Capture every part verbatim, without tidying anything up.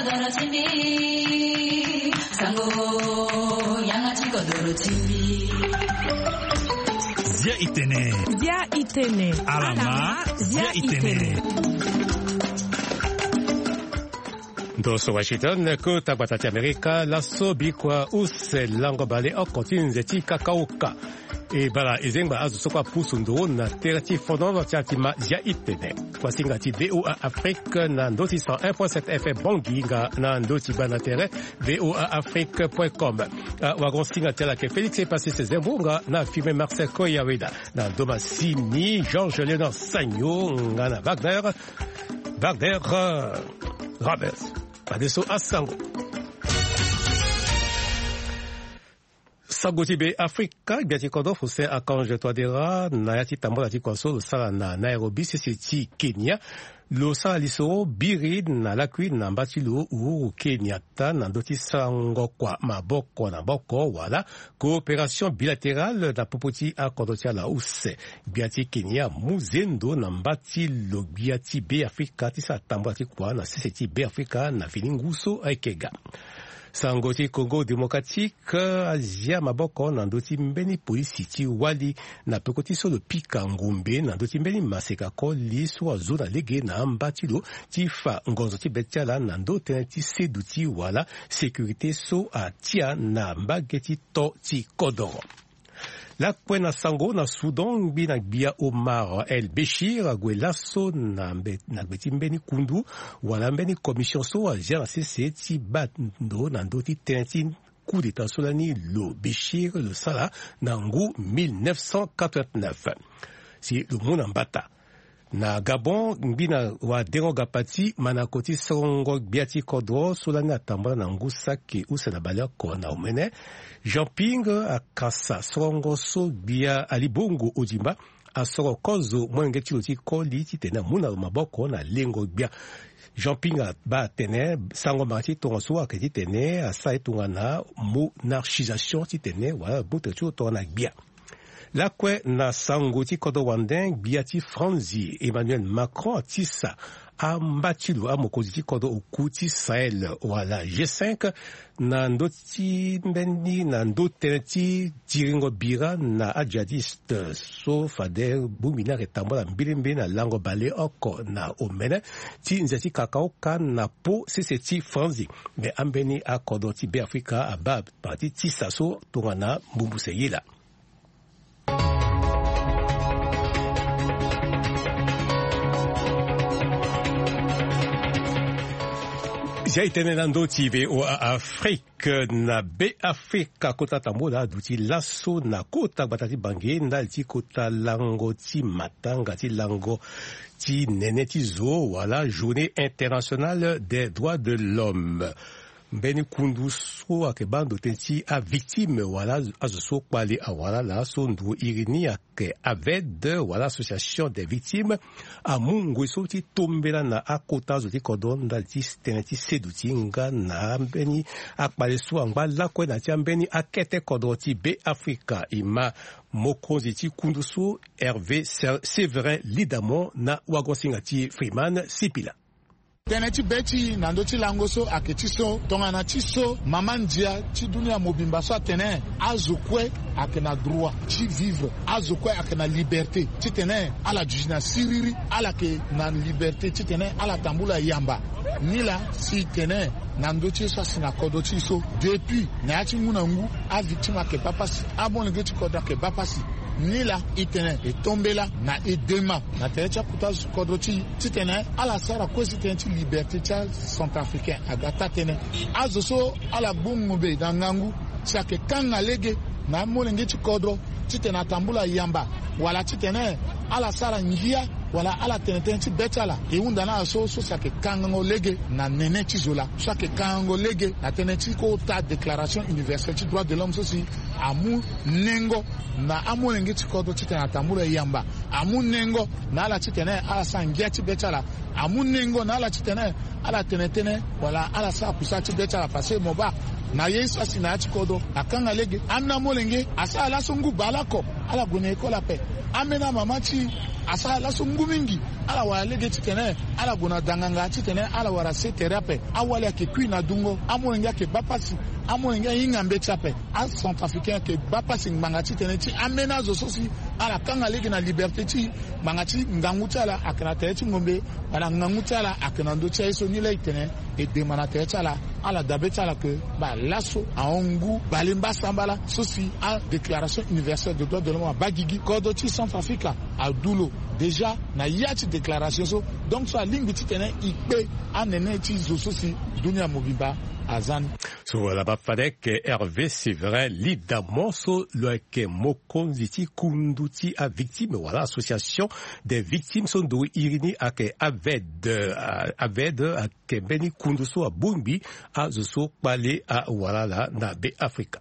Kodoro ti mbi, sango, yanga ti kodoro ti mbi. Zia itene. Zia itene. Alama, zia itene. Ndo so Washington, kota gbata ti Amerika, laso bikua use lango bale oko ti nze ti kakaoka. E bala e zengba azo so kue apusu ndo na tere ti fonono ti atima zia itene. Kuasinga ti V O A Afrique na ndo ti cent un point sept F M Bangui nga na ndo ti bana tere V O A Afrique point com. Ah, wagon singa ti ala ayeke Félix Epasis Zembonga na filme Marcel Koyaweda na ndo masini Georges Léonard Sagno nga na Wagner, Wagner, euh, Roberts. Fadeso asango. Sango ti Be Afrika, gbia ti kodro Faustin Archange Touadéra na ya ti tambula ti kua so lo sara na Nairobi, sese ti Kenya. Lo sara lisoro biri na lakui na mba ti lo Uhuru Kenyatta na ndö ti sarango kua maboko na maboko wala coopération bilatérale na popo ti akodro ti ala use. Gbia ti Kenya amu zendo na mba ti lo gbia ti Be Afrika ti sara tambula ti kua na sese ti Be Afrika na fini ngu so ayeke ga. Sango ti Congo Démocratique, azia maboko na ndö ti mbeni polisi ti wali na peko ti so lo pika ngombe na ndö ti mbeni maseka koli so azo na lege na amba ti lo ti fa ngonzo ti be ti ala na ndö tënë ti seduti wala sécurité so atia na mbage ti to ti kodoro. Lakue na sango na Soudan, ngbi na gbia Omar El Béchir ague laso na mbe-, na gbe ti mbeni kundu wala mbeni commission so azia na sese ti baa ndo na ndö ti tënë ti coup d'État so lani lo Béchir lo sara na ngu mille neuf cent quatre-vingt-neuf. Si lo mu na mbata. Na Gabon, ngbi na wadengo gapati manako ti sorongo gbia ti kodro so lani atambula na ngu saki use na baleoko na omene. Jean Ping akasa sorongo so gbia Ali Bongo Ondimba asoro kozo molenge ti lo ti koli titene amu na lo maboko na lengo gbia. Jean Ping abaa atene sango mara ti tongaso ayeke titene asara ye tongana monarchisation titene wala gbote ti lo tongana gbia. Lakue na sango ti kodro wande, gbia ti Franzi Emmanuel Macron atisa amba ti lo amokonzi ti kodro oku ti Sahel wala G cinq na ndö ti mbeni na ndö tënë ti tiringo bira na ajihadiste so fade bongbi ni ayeke tambula mbilimbi na lango baleoko na omene ti nze ti kakaoka na po sese ti Franzi. Me ambeni akodro ti Be Afrika abaa parti ti sa so tongana mbumbuse yela. Zia itene na ndö ti V O A Afrique na Be Afrika, kota tambula aduti laso na kota gbata ti Bangui ndali ti kota lango ti matanga ti lango ti nene ti zo wala Journée Internationale des Droits de l'Homme. Mbeni kundu so ayeke baa ndo tënë ti avictime wala azo so kpale awara laa so nduru iri ni ayeke AVED wala Association des Victimes amu ngoi so ti tombela na akota azo ti kodro ndali ti tënë ti seduti nga na ambeni akpale so angba lakue na ya ti ambeni akete kodro ti Be Afrika. E ma mokonzi ti kundu so Hervé Sé-, Séverin Lidamon na wagosinga ti Freeman Sipila. Tënë ti be ti e na ndö ti lango so ayeke ti so tongana ti so mama ndia ti dunia mobimba so atene azo kue ayeke na droit ti vivre, azo kue ayeke na liberté titene ala duti na siriri, ala yeke na liberté titene ala tambula yamba. Nilaa si e tene na ndö ti ye so asi na kodro ti e so depuis na ya ti ngu na ngu avictime ayeke baa pasi, amolenge ti kodro ayeke baa pasi. Nilaa e tene e tombela na e dema na tere ti akota zo kodro ti e titene ala sara kue si tënë ti liberté ti acentrafricain aga taa-tënë. Azo so ala gbu ngombe na ngangu si ayeke kanga lege na amolenge ti kodro titene atambula yamba wala titene ala sara ngia wala ala tene tënë ti be ti ala, e hunda na ala so so si ayeke kangango lege na nene ti zo laa, so ayeke kangango lege na tënë ti kota Déclaration universelle ti droit de l'homme so si amu nengo na amolenge ti kodro titene atambula yamba, amu nengo na ala titene ala sara ngia ti be ti ala, amu nengo na ala titene Ala tene tënë wala ala sara kusala ti be ti ala parce que mo baa na ye so asi na ya ti kodro akanga lege. Ambeni amolenge asara laso ngu baleoko, ala gue na ekole ape. Ambeni amama ti e asara laso ngu mingi, ala wara lege titene ala gue na danganga titene ala wara se tere ape. Awali ayeke kui na dungo, amolenge ayeke baa pasi, amolenge ahinga mbeti ape. Acentrafricain ayeke baa pasi ngbanga titene ti ambeni azo so si ala kanga lege na liberté ti e. Ngbanga ti ngangu ti ala ayeke na tere ti ngombe, wala ngangu ti ala ayeke na ndö ti aye so ni laa e tene e dema na tere ti ala. Ala dabe ti ala ke baa laso ahon ngu bale mbasambala so si adéclaration universelle de droit de l'homme abaa gigi. Kodro ti Centrafrique adu lo déjà na ya ti déclaration so. Donc so alingbi titene e kpe anene ti zo so si dunia mobimba aza ni. So wala baa fade ayeke Hervé Séverin Lidamon so lo yeke mokonzi ti kundu ti avictime wala association des victimes so ndo iri ni ayeke aved. Aved ayeke mbeni kundu so abongbi azo so kpale awalala na Be Afrika.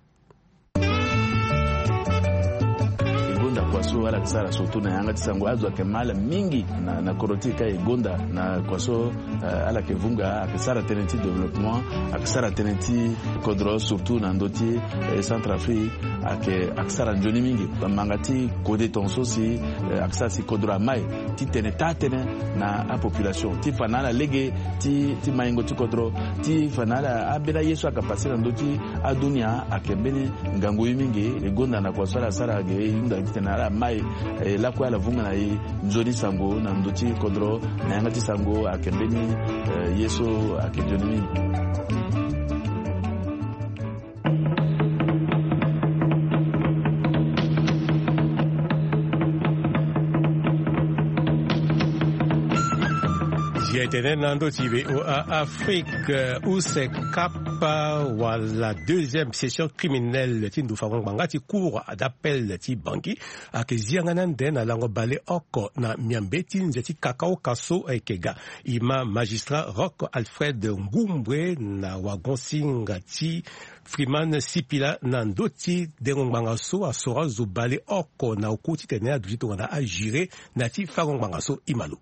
E gonda kua so ala yeke sara surtout na yanga ti sango, azo ayeke ma ala mingi na, na kodro ti e ka e gonda na kua so, eh, ala yeke vunga, ayeke sara tënë ti développement, ayeke sara tënë ti kodro surtout na ndö ti, eh, Centrafrique, ayeke, ayeke sara nzoni mingi. Bamanga ti kode tongaso si, eh, ayeke sara si kodro amai ti tene taa tënë na apopulation ti fa na ala lege ti, ti maingo ti kodro, ti fa na ala ambeni aye so ayeke pase na ndö ti adunia ayeke mbeni ngangu ye mingi. E gonda na kua so ala sara ge e hunda titene ala mai, eh, lakue ala vunga na e nzoni sango na ndö ti kodro na yanga ti sango ayeke mbeni, eh, ye so ayeke nzoni mingi. Ye tene na ndö ti V O A Afrique, use kapa wala deuxième session criminelle ti ndo fango ngbanga ti cour d'appel ti Bangui ayeke zi yanga ni ande na lango baleoko na miambe ti nze ti kakaoka so ayeke ga. E ma magistrat Roch Alfred Ngumbre na wagon-singa ti Freeman Sipila na ndö ti dengo ngbanga so asoro azo baleoko na oku titene aduti tongana ajuré na ya ti fango ngbanga so. E ma lo.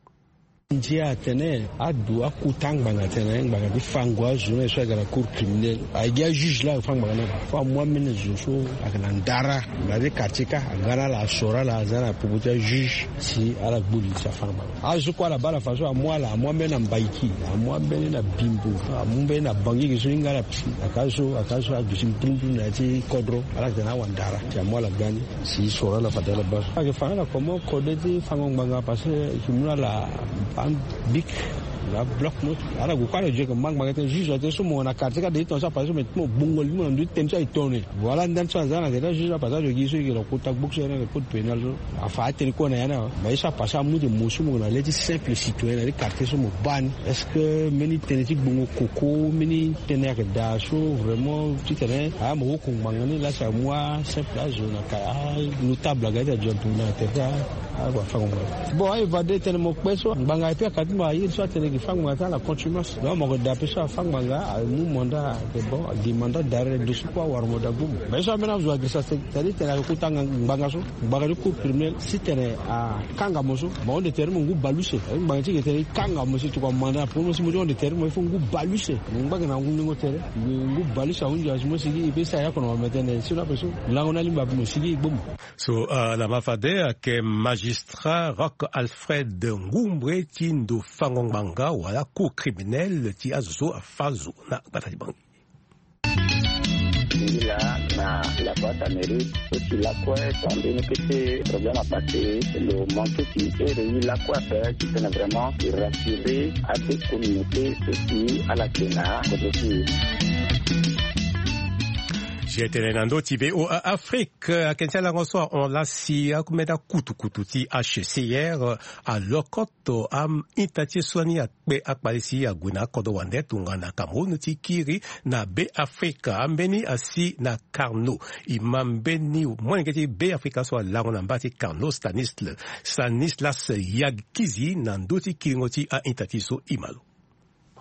Ndia atene adu akuta ngbanga tene ngbanga ti fango azo ni so ayeke na cour criminelle. Ayeke gi ajuge laa afa ngbanga ni. Fo amu ambeni zo so ayeke na ndara na ti quartier kâ, aga na ala, asoro ala, aza na popo ti ajuge si ala gbu li ti afa ngbanga. Azo kue ala baa ala fa so amu ala, amu ambeni na Mbaiki, amu ambeni na Bimbo, amu mbeni na Bangui, ge so hinga ala. Aka so, aka so aduti mpumpum na ya ti kodro, ala yeke na awandara si amu ala ga ni. Si soro ala fade ala baa so. Ayeke fa na ala comment kode ti fango ngbanga parce que e yeke mu na ala baa bic, na bloc mot. Ala gue kue ala zi ayeke ma ngbanga tënë juge atene so mo na quartier kâ de ti tongaso apassé so me ti mo gbongo li ti mo na ndö ti tënë so aye tongana nyen. Voilà ndani so aza na yeke daa juge apassé azo gi so e yeke na kota gboku so aye na le code pénal so. Afa atene kue na ya ni awe. Mais ye so apassé amu tene mo so mo yeke na le ti simple citoyen na ya ti quartier so mo baa ni. Est-ce que mbeni tënë ti gbongo koko, mbeni tënë ayeke daa so vraiment titene aya mo woko ngbanga ni laa si amu asimple azo na ka, anotable aga ti azo na tere ti awafango ngbanga. Bon, a-évadé tënë mo kpe so ngbanga aye pe aka ti mo aye so atene gi fa ngbanga ti ala contumace. Donc mo yeke daa pe so afa ngbanga amu mandat, ayeke bon, agi mandat d'arrêt ndo so kue awara mo daa gbu mo. Mais ye so ambeni azo agirisa, c'est-à-dire tene ayeke kota ngbanga so. Ngbanga ti cour criminel si tene akanga mo so, mo ahon de tere ti mo ngu bale use. Ngbanga ti ge tene e kanga mo si tokua manda na popo mo si mo ti hon de tere ti mo, il faut ngu bale use. Mo ngba ge na ngu ningo tere, ngu bale use ahunzi asi mo si gi e pe sara ya oko na wara mo tene si na ape so lango ni alingbi ape mo si gi e gbu mo. So, ah, lama fade ayeke magistrat Roch Alfred Ngumbre ti ndo fango ngbanga wala cour criminel ti azo so afa zo na gbata ti Bangui. Ngila na la boîte à mairie, so ti lakue, so ambeni kete problème apassé, lo manque ti ere ye lakue ape, ti tene vraiment e rassurer ade communauté so ti ala yeke na kodro ti e. Si e tene na ndö ti V O A Afrique, ayeke ti alango so ahon laa si ambeni akutukutu ti H C R alokoto a-ita ti e so ani akpe akpale si ague na akodro wande tongana Cameroun ti kiri na Be Afrika. Ambeni asi na Carnot. E ma mbeni molenge ti Be Afrika so alango na mba ti Carnot, Stanisl-, Stanislas Yagkizi na ndö ti kiringo ti a-ita ti e so. E ma lo.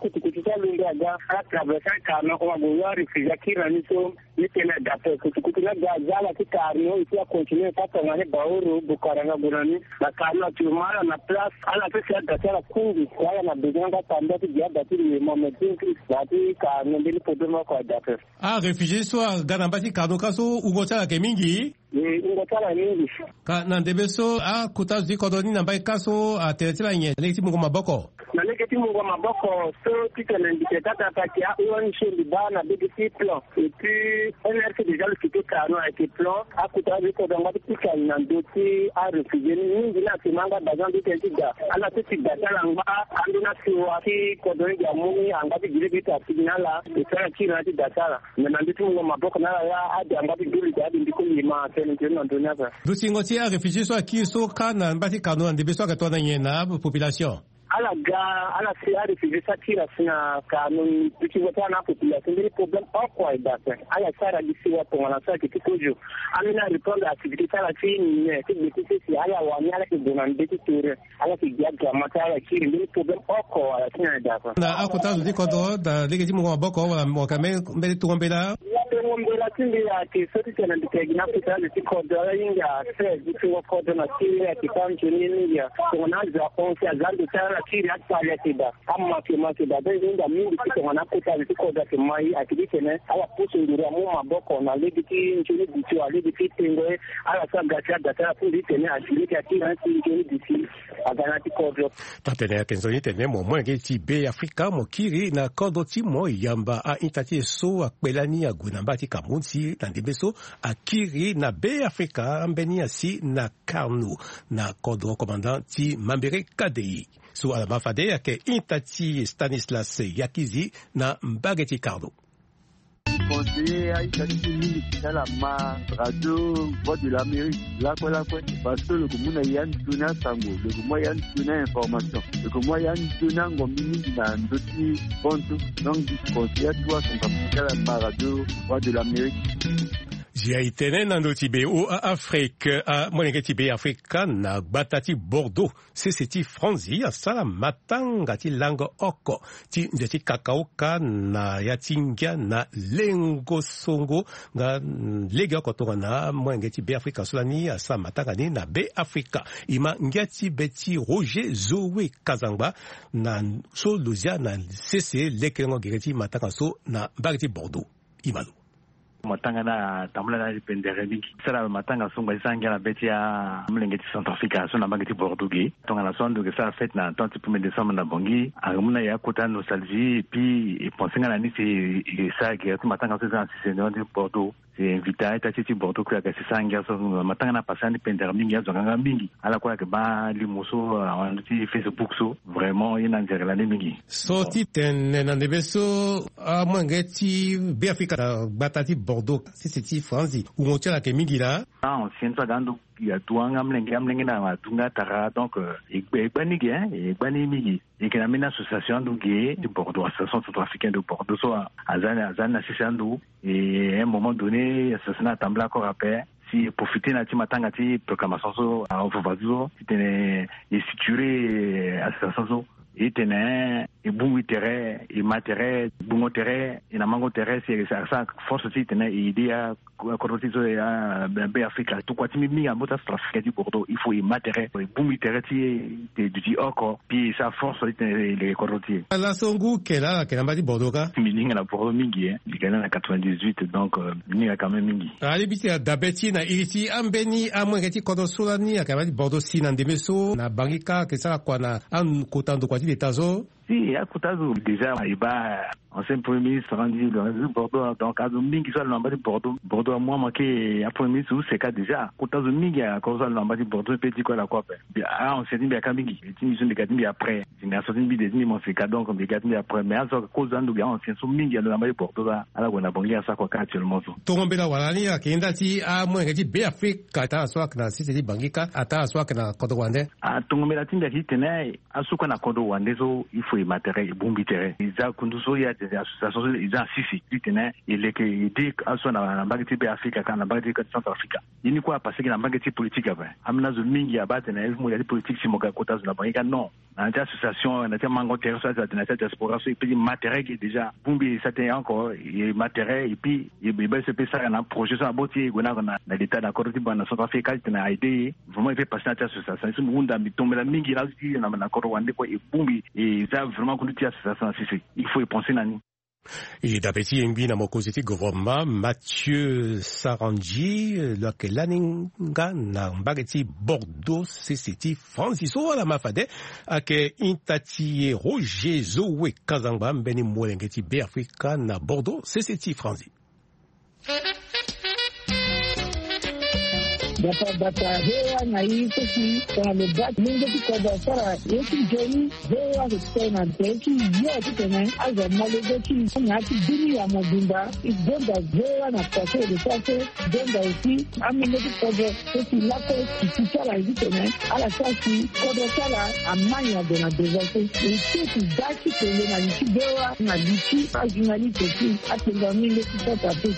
Kutukutu so alundu aga ala traverse acarno hon ague yo aréfugie akiri na ni so. Ni tene adape kutukutu ni aga aza ala ti carno eti acontinue ti atongani baoro bokara nga gue na ni. Bacarno actuellement ala na place ala so si ada ti ala kundu ala na besoin nga tambula ti gi ada ti limo mais ti nki na ya ti carno mbeni problème oko adape. Aréfugie so aga na mba ti carno ka so wungo ti ala yeke mingi. Wungo ti ala mingi. Ka na ndembe so akota zo ti kodro ni na mbai ka so atene ti ala nyen na lege ti mungo maboko? Na lege ti mungo maboko so titene mbi tene ti atata ayeke a-ong mbi baa na bege ti plan et puis nrc déjà lo kite carno ayeke plan. Akota zo ti kodro angba ti pika na ndö ti aréfugie ni mingi ni asema nga baza ndö tënë ti da ala so ti da ti ala angba. Ande ni asiwa ti kodro ni gi amu ni angba ti gi lege ti asigi na ala. Ete ala kiri na ala ti da ti ala. Mais na ndö ti mungo maboko na ala laa ade angba ti du lide ade mbi koli ema tënë tënë na ndö ni ape. Dutingo ti aréfugie so akiri so kâ na mba ti carno na ndembe so ayeke tongana nyen na apopulation? Ala ga ala si aréfugie so akiri asi na carno. Dutingo ti ala na apopulation mbeni problème oko aye daa ape. Ala sara gi siwa tongana so ayeke ti kozo. Ambeni arépondre activité ti ala ti nyen ti gbe ti sese ala wani ala yeke gue na ndö ti tere. Ala yeke gi agrama ti ala kiri mbeni problème oko ala ti na daa ape. Na akota zo ti kodro na lege ti mungo maboko wala mo yeke ambeni tongo mbela? Tongo mbela ti mbi ayeke so titene mbi yeke gi na akota zo ti kodro ala hinga seize ti tongo kodro na kiri ayeke kâ nzoni mingi. Tongana azo ahon si aza ndo ti ala na kiri akpali ayeke daa. Ama ayeke ma ayeke daa donc e hinga mingi ti tongana akota zo ti kodro ayeke ma e ayeke titene ala pusu nduru amu maboko na lege ti nzoni duti wala lege ti tengo e. Ala so aga ti ada ti ala ti mbi titene asi lege akiri na ti nzoni duti. Aga na ya ti kodro. Taa-tënë ayeke nzoni tene mo molenge ti Be Afrika mo kiri na kodro ti mo yamba a-ita ti e so akpe lani ague na mba ti Cameroun si na ndembe so akiri na Be Afrika ambeni asi na carno na kodro commandant ti Mambere Kadei. So ala ma fade ayeke ita ti Stanislas Yakizi na mbage ti carno. Conseiller a-ita ti e mingi ti ala ma radio Voix de l'Amérique lakue lakue. Parce que lo yeke mu na e anzoni asango, lo yeke mu na e anzoni a-information, lo yeke mu na e anzoni angombi mingi na ndö ti bantu. Donc mbi conseiller atu asango ti ala ma radio Voix de l'Amérique. Zia e tene na ndö ti Be o a Afrique amolenge ti Be Afrika na gbata ti Bordeaux. Sese ti Franzi asara matanga ti lango oko ti nze ti kakauka na ya ti ngia na lengo songo nga legeoko tongana molenge ti Be Afrika so lani asara matanga ni na Be Afrika. E ma ngia ti be ti Roger Zoe Kazangba na so lo zia na sese lekelengo gere ti matanga so na mbage ti Bordeaux. E ma lo. Matanga ni atambula na ala ti pendere mingi. Sara matanga so ngba ti sara ngia na be ti amolenge ti Centrafrique so na mbage ti Bordeaux ge. Tongana so ando ge sara fête na temps ti premier décembre na Bangui, ange mu na e akota nostalgie et puis e pense nga na ni si e sara gere ti matanga so e za na sese na ti Bordeaux. Si e invite a-ita ti e ti Bordeaux kue ayeke si sara ngia so matanga ni apase ande pendere mingi azo anganga mingi. Ala kue ayeke baa limo so awanda ti Facebook so. Vraiment ye na nzere lani mingi. So ti tene na ndembe so amolenge ti Be Afrika na gbata ti Bordeaux sese ti Franzi wungo ti ala ayeke mingi laa. Ah ancien so aga ando ya duanga amolenge amolenge na adunga tara donc e gba ni ge hein e gba ni mingi. E yeke na mbeni association ando ge ti Bordeaux, association centrafricaine de Bordeaux so aza ni aza ni na sese ando. Et un moment donné association ni atambula encore ape. Si e profite na ya ti matanga ti proclamation so aovova ti so titene e structure association so. E tene e bongbi tere e ma tere e gbungo tere e na mango tere si e sara force ti tene e aider akodro ti e so ya Be Afrika. Tokua ti mbi mingi na mota centrafricain ti Bordeaux il faut e ma tere e bongbi tere ti e te duti oko. Puis e sara force ti tene e leke kodro ti e. Laso ngu ke laa ala yeke na mba ti Bordeaux ka? Mbi hinga na Bordeaux mingi e. Mbi yeke na quatre-vingt-dix-huit donc mbi hinga quand même mingi. Alingbi ti tene adabe ti e na iri ti ambeni amolenge ti kodro so lani ayeke na mba ti Bordeaux si na ndembe so na Bangui ka ayeke sara kua na akota ndokua ti leta so? Si akota azo déjà e baa ancien premier ministre andi lo na mba ti Bordeaux donc azo mingi so alo na mba ti Bordeaux. Bordeaux amu amanke apremier ministre use ka déjà akota azo mingi akota so alo na mba ti Bordeaux mpe ti kue ala kue ape. Ancien ti mbi aka mingi ti mbi so mbi ga ti mbi après. Génération ti mbi de ti mbi mo seka donc mbi ga ti mbi après mais azo kozo ando ge ancien so mingi alo na mba ti Bordeaux la ala gue na Bangui asara kua ka actuellement so. Tongo mbela wala ni ayeke nda ti amolenge ti Be Afrika atara so ayeke na sese ti Bangui ka atara so ayeke na kodro wande. Atongo mbela ti mbi ayeke ti tene aso kue na kodro wande so il faut E ma tere, e bongbi tere. E za kundu so e atene association so e za na sese titene e leke e de aso na mbage ti Be Afrika ka na mbage ti Centre Afrika. Ye ni kue apase gi na mbage ti politique ape. Ambeni azo mingi abaa atene e mu ya ti politique si mo ga kota zo na bangi ka non. Na ya ti association, na ya ti amango tere so, na ya ti adiaspora so, e pe ti ma tere ge déjà. Bongbi e sa tënë oko, e ma tere, et puis e be so e pe sara na projet so na boti e gue na na l'état na kodro ti bango na Centre Afrika titene a aider e. Vraiment e pe pase na ya ti association so. Mbi hunda, mbi tombela mingi na ti na na kodro wande kue, e bongbi e za vraiment kundu ti association na sese. Il faut e penser na ni. E dape ti yengbi na mokonzi ti gouvernement Mathieu Sarandji, lo yeke lani nga na mbage ti Bordeaux, sese ti Franzi so ala ma fade. Ayeke ita ti e Roger Zoe Kazangba, mbeni molenge ti Be Afrika na Bordeaux, sese ti Franzi. Bata bata, V O A na i so si tongana lo baa ti mingi ti kodro asara ye ti nzoni. V O A ayeke tene na tere ti yo titene azo ama lege ti i na ya ti bini ya mobimba. E donda V O A na kua so e lo sara so, e donda aussi amolenge ti kodro so si lakue ti ti ala ye titene ala sara si kodro ti ala ama nyon ade na devant so. E so e si daa ti kele na li ti V O A na li ti ajournaliste ti atenga mingi ti sota pe.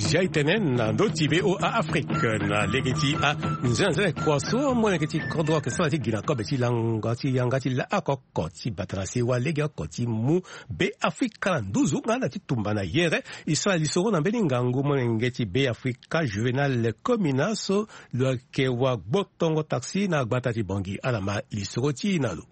Zia e tene na ndö ti V O A Afrique na lege ti anzenanzene kua so molenge ti kodro ayeke sara ti gi na kobe ti lango ti yanga ti laa oko oko ti bata na sewa lege oko ti mu Be Afrika na nduzu nga na ti tumba na yere. E sara lisoro na mbeni ngangu molenge ti Be Afrika Juvenal Komina so lo yeke wa gbotongo taxi na gbata ti Bangui. Ala ma lisoro ti e na lo.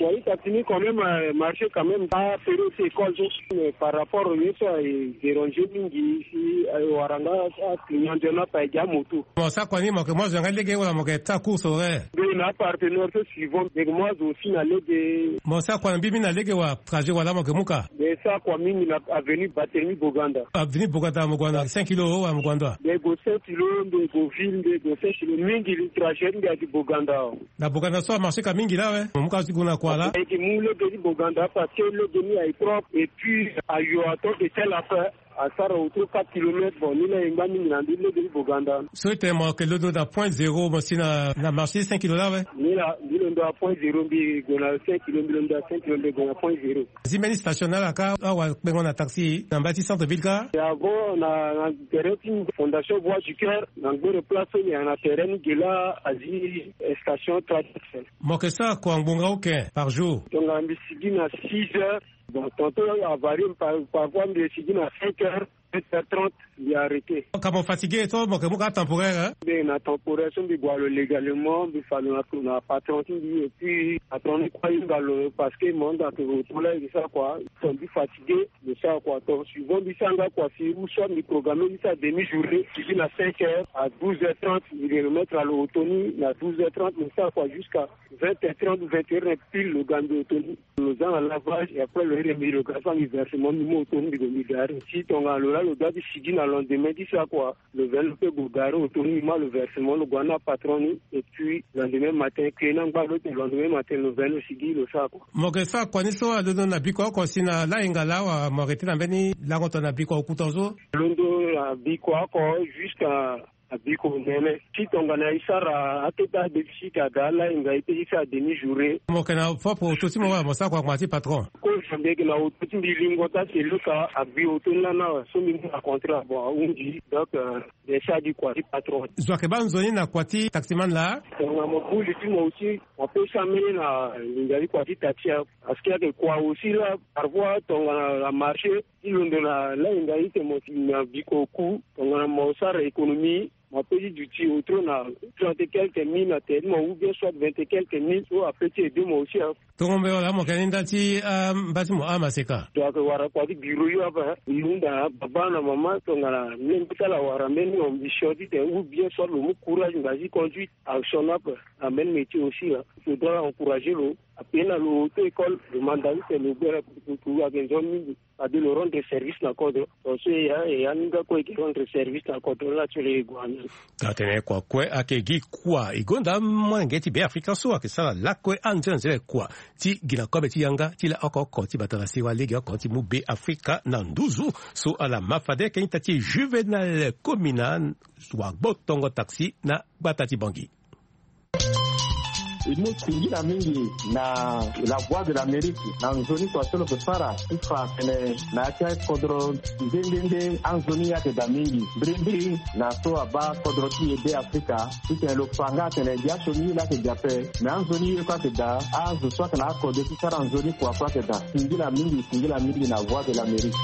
Wali taxi ni quand même, euh, marché quand même, pas fere ti école so. Mais par rapport au yeux so, euh, déranger mingi si, euh, waranga, ah, client de na pa ga moto. Mo sa kua ni, mo yeke mu azo yanga lege wala mo yeke sara course horaire? Be na partenaire so suivant, be mo azo aussi na lege. Mo sa kua na mbi, mbi na lege wa trajet wala mo yeke mu ka? Be sa kua mingi na avenue Barthélemy Boganda. Avenue Boganda mo gue na cinq kilo wala mo gue na? Be gue cinq kilo, be gue ville, be gue cinq kilo mingi, trajet mbi adi Boganda. Na Boganda so amarché ka mingi laa awe. Mo mu ka ti gue na kua laa? Ayeke mu lege ti Boganda parce que lege ni aye propre et puis ayo ato de tel affaire. Asara autour quatre kilomètres. Bon, ni la e ngba mingi na ndö lege ti Boganda. So e tene mo yeke londo na point zéro, mo si na, na marché cinq kilo laa awe? Ni la, mbi londo na point zéro, mbi gue na cinq kilo, mbi londo na cinq kilo, mbi gue na point zéro. Azi mbeni station na ala ka, awa kpengo na taxi na mbage ti centre ville ka? Ya bon, na, na tere ti Fondation Voix du Cœur, na ngbere place so ni, na tere ni ge laa azi station Tradex. Mo yeke sara kua ngbonga oke par jour? Tongana mbi sigi na six heures. Bon, tantôt avarie, par, parfois mbi sigi na cinq heures, sept heures trente, mbi arrêté. Ka mo fatigué so mo yeke mu ka temporaire, hein? Mbi na temporaire so mbi gue lo légalement, mbi fa lo na, na patron ti mbi, et puis patron ni kue ahinga lo parce que mo hunda ke auto la e sara kua, so mbi fatigué, mbi sara kua. Donc suivant mbi sara nga kua si ou soit mbi programme mbi sara demi journée, mbi sigi na cinq heures à douze heures trente, mbi remettre na lo auto ni na douze heures trente, mbi sara kua jusqu'à vingt heures trente, vingt heures pile, lo ga mbi auto ni. Lo za na lavage, et après lo iri mbi, lo ga fa mbi versement, mbi mu auto ni, mbi gue mbi gare. Si tongana lo la lo doit ti sigi na lendemain ti sara kua, lo veni lo pe gue gare auto ni, mbi ma lo versement, lo gue na patron ni, et puis lendemain matin, kue na ngba lo te, lendemain matin lo veni lo sigi lo sara kua. Mo yeke sara kua ni so alondo na bikua oko si na lahinga laa, wa mo arrêté na mbeni lango tongana bikua oku tongaso? Londo na bikua oko jusqu'à na bikua omene. Si tongana e sara akete adéficit aga lahinga e pe ti sara demi journée. Mo yeke na propre auto ti mo wala mo sara kua ngbanga ti patron? Kozo mbi yeke na auto ti mbi, lingo ti aselu ka agbi auto ni lani awe, so mbi mu na contrat, bon, ahunzi. Donc, euh, mbi sara gi kua ti patron. Zo ayeke baa nzoni na kua ti taximan laa? Tongana mo bu li ti mo aussi, mo pe sara mbeni na linga ti kua ti taxi awe. Parce que ayeke kua aussi laa, parfois tongana na marché, ti londo na lahinga ti tene mo si na bikua oku, tongana mo sara économie, mo pe ti duti autour na trente et quelques mille na tere ti mo, ou bien soit vingt et quelques mille, so ape ti aidé mo aussi, hein. Tongo mbela wala mo yeke ni ndali ti, ah, mba ti mo amaseka? Donc ayeke wara kua ti bureau yo ape, hein. Mbi hunda na baba na mama, tongana mbi lingbi ti ala wara mbeni ambition ti tene, ou bien soit lo mu courage, mba ti conduite, action ape, na mbeni métier aussi, hein. Faudra encourager lo. Ape na lo auto école, lo manda ti tene lo gbere kutukutu, ayeke nzoni mingi. Fade lo rendre service na kodro. Tonga so e ya e ya ni nga kue e ke rendre service na kodro la ti lo e gue ande. Taa tene kua kue ayeke gi kua e gonda amolenge ti Beafrika so ayeke sara lakue anzere anzere kua ti gi na kobe ti yanga ti la oko oko ti bata na sewa lege oko ti mu Beafrika na nduzu. So ala ma fade ayeke ita ti Juvenal Komina wagbo tongo taxi na gbata ti Bangi. E mu singila mingi na La Voix de l'Amérique na nzoni kua so lo ke sara ti fa atene na ya ti akodro nde nde nde anzoni ye ayeke daa mingi mbirimbiri na so abaa kodro ti e Beafrika. Titene lo fa nga atene gi asioni ye laa ayeke gi ape. Me anzoni ye kue ayeke daa. Azo so ayeke na akode ti sara nzoni kua kue ayeke daa. Singila mingi, singila mingi na Voix de l'Amérique.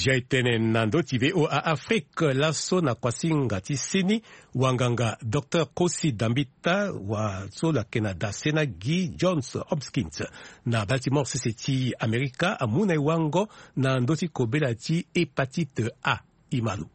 Zia e tene na ndö ti V O A Afrique laso na kuasinga ti seni, wanganga Docteur Kosi Dambita wa so lo yeke na dasena Guy Johns Hopkins na Baltimore sese ti Amerika amu na e wango na ndö ti kobela ti hépatite A. Imalo.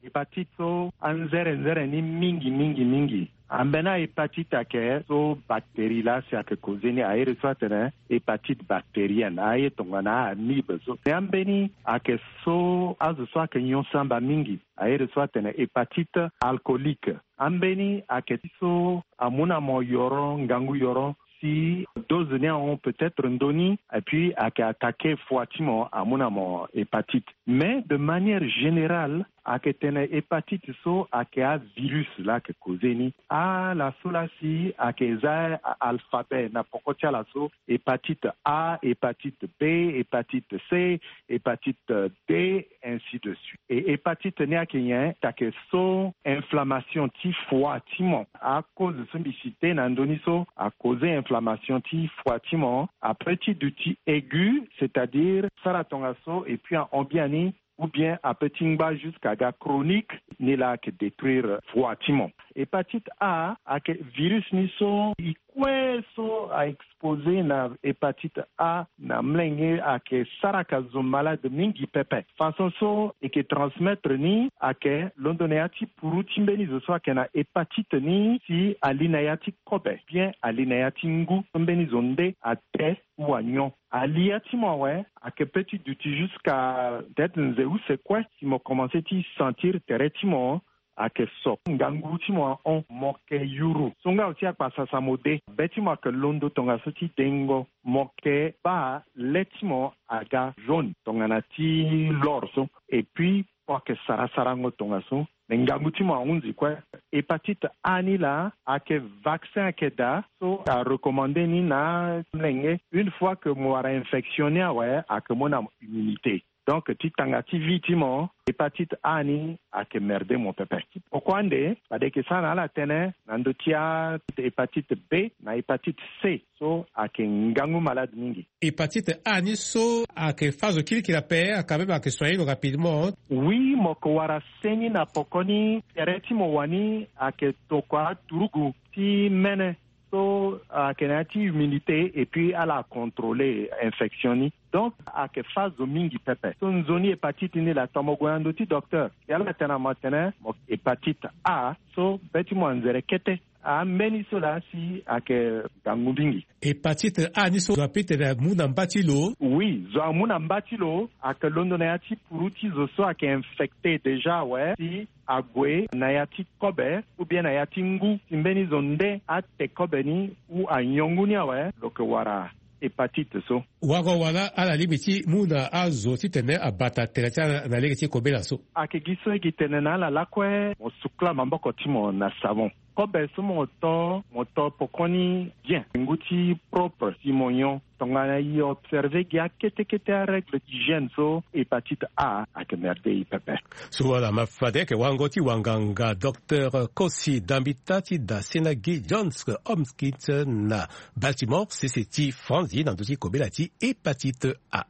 Hépatite so anzere nzere ni mingi mingi mingi. Ambeni ahépatite ayeke so bactérie laa si ayeke koze ni, aye re so atene hépatite bactérienne, aye tongana amibe so. Me ambeni ayeke so azo so ayeke nyon samba mingi, aye re so atene hépatite alcoolique. Ambeni ayeke ti so amu na mo yoro ngangu yoro, si dose ni ahon peut-être ndoni, et puis ayeke attaquer foi ti mo, amu na mo hépatite. Mais de manière générale, ayeke tene hépatite so ayeke avirus laa ayeke koze ni. Ala so laa si ayeke za alphabet na poko ti ala so, hépatite A, hépatite B, hépatite C, hépatite D, ainsi de suite. Et hépatite ni ayeke nyen? Ayeke so inflammation ti foi ti mo. Acause so mbi cite na ndö ni so akoze inflammation ti foi ti mo, ape ti duti aigu, c'est-à-dire sara tongaso et puis ahon biani, ou bien ape ti ngba jusqu'à aga chronique, ni laa ayeke détruire foi ti mo. Hépatite A ayeke virus ni so e kue so a exposé na hépatite A na molenge ayeke sara ka zo malade mingi pepe. Façon so e ke transmettre ni ayeke londo na ya ti puru ti mbeni zo so ayeke na hépatite ni si ali na ya ti kobe, bien ali na ya ti ngu, so mbeni zo nde ate ou anyon. Alia ti mo awe ayeke pe ti duti jusqu'à peut-être nze use kue si mo commencé ti sentir tere ti mo ayeke so, ngangu ti mo ahon, mo ke yuru. So nga aussi akpasasa mo de. Be ti mo ayeke londo tongaso ti dengo. Mo ke baa le ti mo aga jaune tongana ti l'or so. Et puis mo yeke sara sarango tongaso. Me ngangu ti mo ahunzi kue. Hépatite A ni laa ayeke vaccin ayeke daa so a recommandé ni na molenge. Une fois que mo wara infection ni awe ayeke mu na mo immunité. Donc ti tanga ti vie ti mo, hépatite A ni ayeke merde mo pepe. Pourquoi nde? Fade e ke sara na ala tënë na ndö ti ahépatite B na hépatite C so ayeke ngangu malade mingi. Hépatite A ni so ayeke fâ zo kirikiri ape, aka même ayeke soigné lo rapidement. Oui, mo yeke wara seni na poko ni, tere ti mo wani ayeke tokua turugu ti mene. So ayeke na ya ti humidité et puis ala contrôler infection ni. Donc ayeke fâ zo mingi pepe. So nzoni hépatite ni laa tongana mo gue na ndö ti docteur, si ala tene na mo atene mo hépatite A, so be ti mo anzere kete. Ambeni so laa si ayeke ngangu mingi. Hépatite A ni so zo apeut ti tene amu na mba ti lo? Oui, zo amu na mba ti lo, ayeke londo na ya ti puru ti zo so ayeke infecté déjà awe, si ague na ya ti kobe ou bien na ya ti ngu, si mbeni zo nde ate kobe ni ou anyon ngu ni awe, lo yeke wara hépatite so. Wangoro wala ala lingbi ti mu na azo titene abata tere ti ala na lege ti kobela so? Ayeke gi so e gi tene na ala lakue, mo sukula maboko ti mo na savon. Kobe so mo to, mo to pokoni bien, ngu ti propre si mo nyon. Tongana e observé gi akete kete arègle d'hygiène so, hépatite A ayeke merde e pepe. So ala ma fade ayeke wango ti wanganga docteur Kosi Dambita ti dasena Guy Johns Hopkins na Baltimore sese ti France, ye na ndö ti kobela ti hépatite A.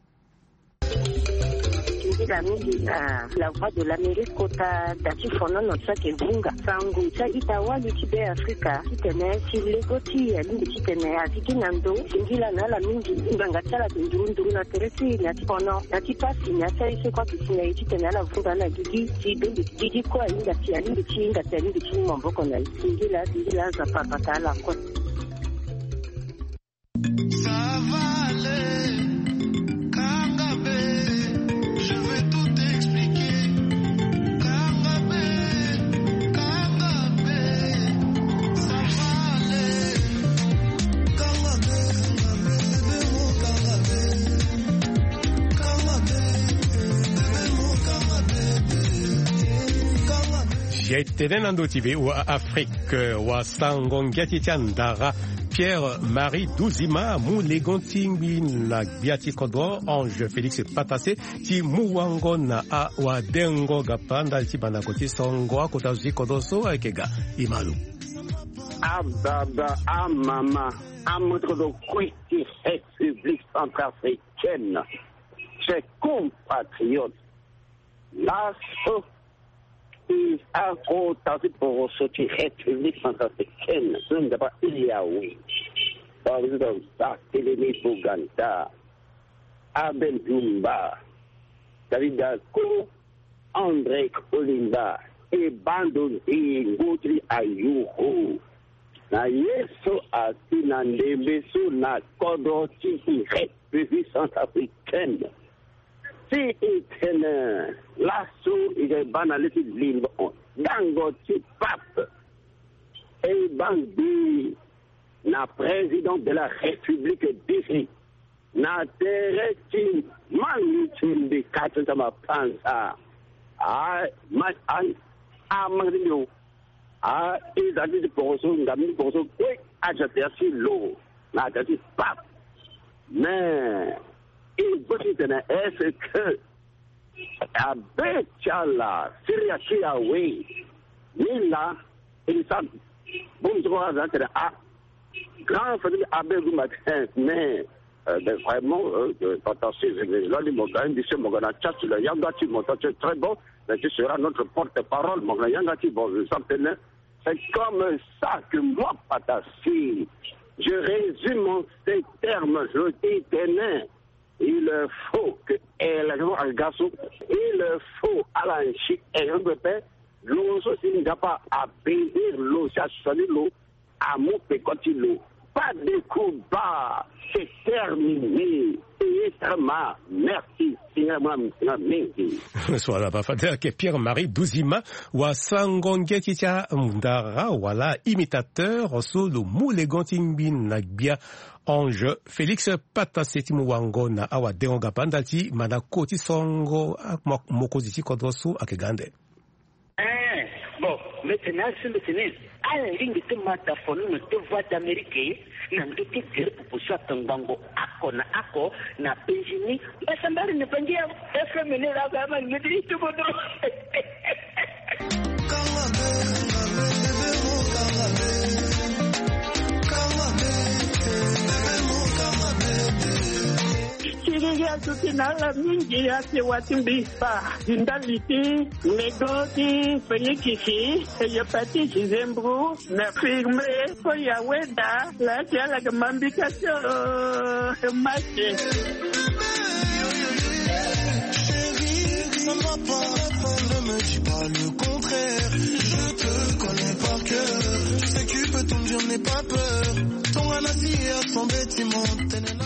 Mingi na la Voix de l'Amérique kota da ti fonono ti saki vunga sango ti a-ita-wali ti Be Afrika titene si lego ti e alingbi titene azi gi na ndo. Singila na ala mingi ngbanga ti ala ayeke nduru nduru na tere ti e na ya ti fono na ya ti pasi na ya ti aye so kue ayeke si na e titene ala vunga na gigi ti bembe gigi kue ahinga ti alingbi ti hinga ti alingbi ti mu maboko na e. Singila singila Nzapa abata ala kue. Ça va aller, Kangabe, je vais tout expliquer. Kangabe, Kangabe, ça va aller. Kangabe, Kangabe, bébé, mon Kangabe. Kangabe, bébé, mon Kangabe. Kangabe. Ye tene na ndo ti V O A Afrique, wa sango ngia ti ti andara Pierre Marie Duzima mu legon ti ngbi na gbia ti kodro Ange Félix Patassé ti mu wango na awadengo gapa ndali ti bandako ti songo akota zo ti kodro so ayeke ga. Imalo. Ababa, amama, amotokoto kue ti République centrafricaine, chers compatriotes, laso i akota ti poroso ti République centrafricaine so nzapa i awe, président Barthélemy Boganda, Abel Dumba, David Dako, André Kolimba, e bando nzingo ti ayuru na ye so asi na ndembe so na kodro ti République centrafricaine. Si i tene laso i ga baa na le ti limbo dango ti pape, e baa ngbii na président de la République d'ici na tere ti mani ti mbi kati ti mapanza. A ma a a ma ti mbi o. A i za ti ti poroso nga mi ti poroso kue aja tere ti lo na tere ti pape. Mais i go ti tene est-ce que abe ti ala siri aki awe? Ni laa e li sara bongbi ti kua aza tene a grand famille abe gumba ti. Mais euh, ben, vraiment euh, euh, pata si lo ni mo ga indi si mo ga na tchatch lo yanga ti mo ta ti très bon. Mais tu seras notre porte-parole mo ga na yanga ti bon je sens tene. C'est comme ça que moi pata si je résume en ces termes je dis tene il faut que élection aga so il faut ala nsi élection pepe. Lo so si nzapa abénir lo si asali lo amu peko ti lo. Pas de combat, c'est terminé. Payé très mal. Merci. Singa mwa singa mingi. So ala ba fade ake Pierre Marie Duzima wa sango nge ti ti andara wala imitateur so lo mu legon ti ngbi na gbia Ange Félix Patassé ti mu wango na awadengo gapa ndali ti mandako ti songo mokonzi ti kodro so ayeke ga ande. Eh, bon, mbeti na asi mbeti ni. Ala lingbi ti ma da fonono ti Voix d'Amérique na ndö ti gere pupu so ayeke ngbongo oko na oko na Benjini. Mbasambari ni bangi ya F M ni la ga ma ni ti tubo dro. Siriri aduti na ala mingi ake wa ti mbi. Ba di ndali ti lego ti Félix si eyo pati Gisembro na firme. Fo ya weda la ti ala ga mambika ti o maki. Chérie, ça ne va pas, ne me dis pas le contraire. Je te connais par cœur. Tu sais que tu peux tout me dire, n'aie pas peur. Ton anasi est assemblé, Timon.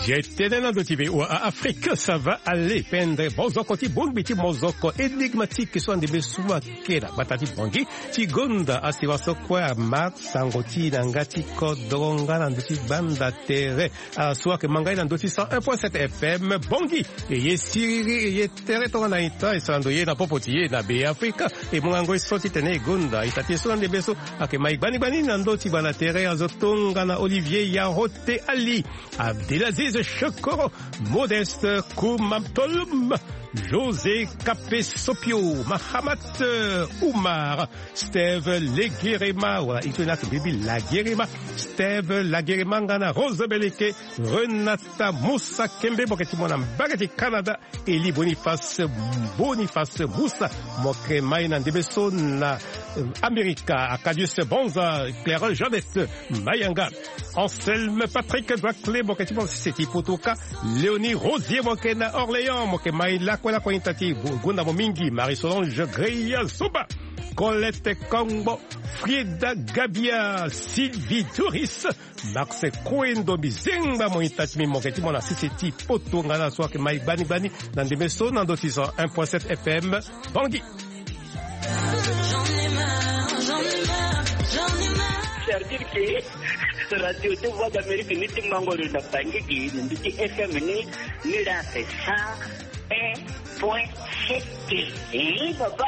J'ai tene na ndo ti be wa Afrique, ça va aller. Pendre bozoko ti bongbi ti mozoko énigmatique so ande be so ayeke na gbata ti Bangui ti gonda asiwa so kue ama sango ti e na nga ti kodro nga na ndo ti gbanda tere. Ala so ayeke ma nga ye na ndo ti cent un point sept F M Bangui. E ye siriri e ye tere tongana ita e sara ndo ye na popo ti e na be Afrika. E mu nga ngoi so titene e gonda ita ti e so na ndembe so ayeke ma e gbani gbani na ndo ti gbanda tere azo tongana Olivier Yahote Ali, Abdelaziz Chokoro, Modeste Koumamtolum. José Kape Sopio, Mahamat, euh, Oumar, Steve Legerema, wala ito ni ake bibi Lagerema, Steve Lagerema nga na Rose Beleke, Renata Moussa Kembe, mo yeke ti mo na mbage ti Canada, Eli Boniface, Boniface Moussa, mo yeke mai na ndembe so na, euh, Amerika, Acadius Bonza, Claire Jeannette Mayanga, Anselme Patrick Duaclé, mo yeke ti mo na sese ti poto kâ, Léonie Rosier, mo yeke na Orléans, mo yeke mai lakue lakue ita ti gonda mo mingi, Marie Solange Greya Zoba, Colette Kongbo, Frieda Gabia, Sylvie Doris, Max Koendo, mbi zengba mo ita ti mbi, mo yeke ti mo na sese ti poto nga na so ayeke mai gbani gbani na ndembe so na ndö ti cent un point sept F M Bangui. C'est-à-dire que radio de Voix d'Amérique ni ti mango lo na Bangui gi, ni ti F M ni, ni la c'est cent un point sept. Eh, papa.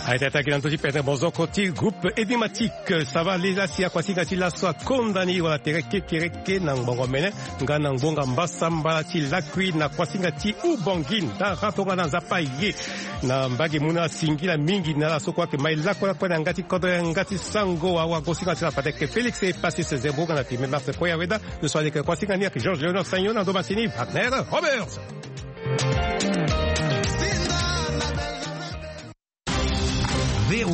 Aye, ti attaqué na ndö ti pete bozoko ti groupe énigmatique. Ça va, lê laa si akuasinga ti laso akonda ni wala tere kekereke na ngbongo mene nga na ngbonga mbasambala ti lakui na kuasinga ti Ubangui ndara tongana Nzapa ye. Na mbage mû na singila mingi na ala so kue ayeke mai lakue lakue na yanga ti kodro, yanga ti sango, awagosinga ti ala Patrick Félix Epassis Zembo nga na Timé Mars Koya Weda. Lo so aleke kuasinga ni ayeke Georges Léonard Sagnon, na ndo masini Wagner Roberts. V O A